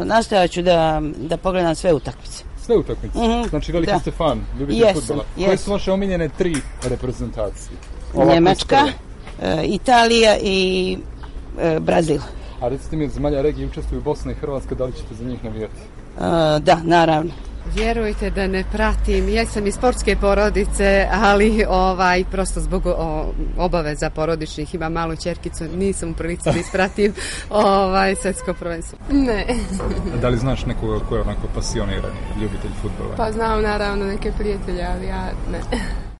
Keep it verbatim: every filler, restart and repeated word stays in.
nastojat ću da, da pogledam sve utakmice. Sve utakmice? Mm-hmm. Znači veliki ste fan, ljubite yes, fudbala. Yes. Koje su vaše omiljene tri reprezentacije? Ovako Njemačka, e, Italija i e, Brazil. A recite mi, od zemalja regije učestvuju Bosna i Hrvatska, da li ćete za njih navijati? E, da, naravno. Vjerujte da ne pratim, ja sam iz sportske porodice, ali ovaj, prosto zbog o, obaveza porodičnih, imam malu ćerkicu, nisam u prilici da ispratim ovaj, svjetsko prvenstvo. Ne. Da li znaš nekoga ko je onako pasionirani ljubitelj fudbala? Pa znam naravno neke prijatelje, ali ja ne.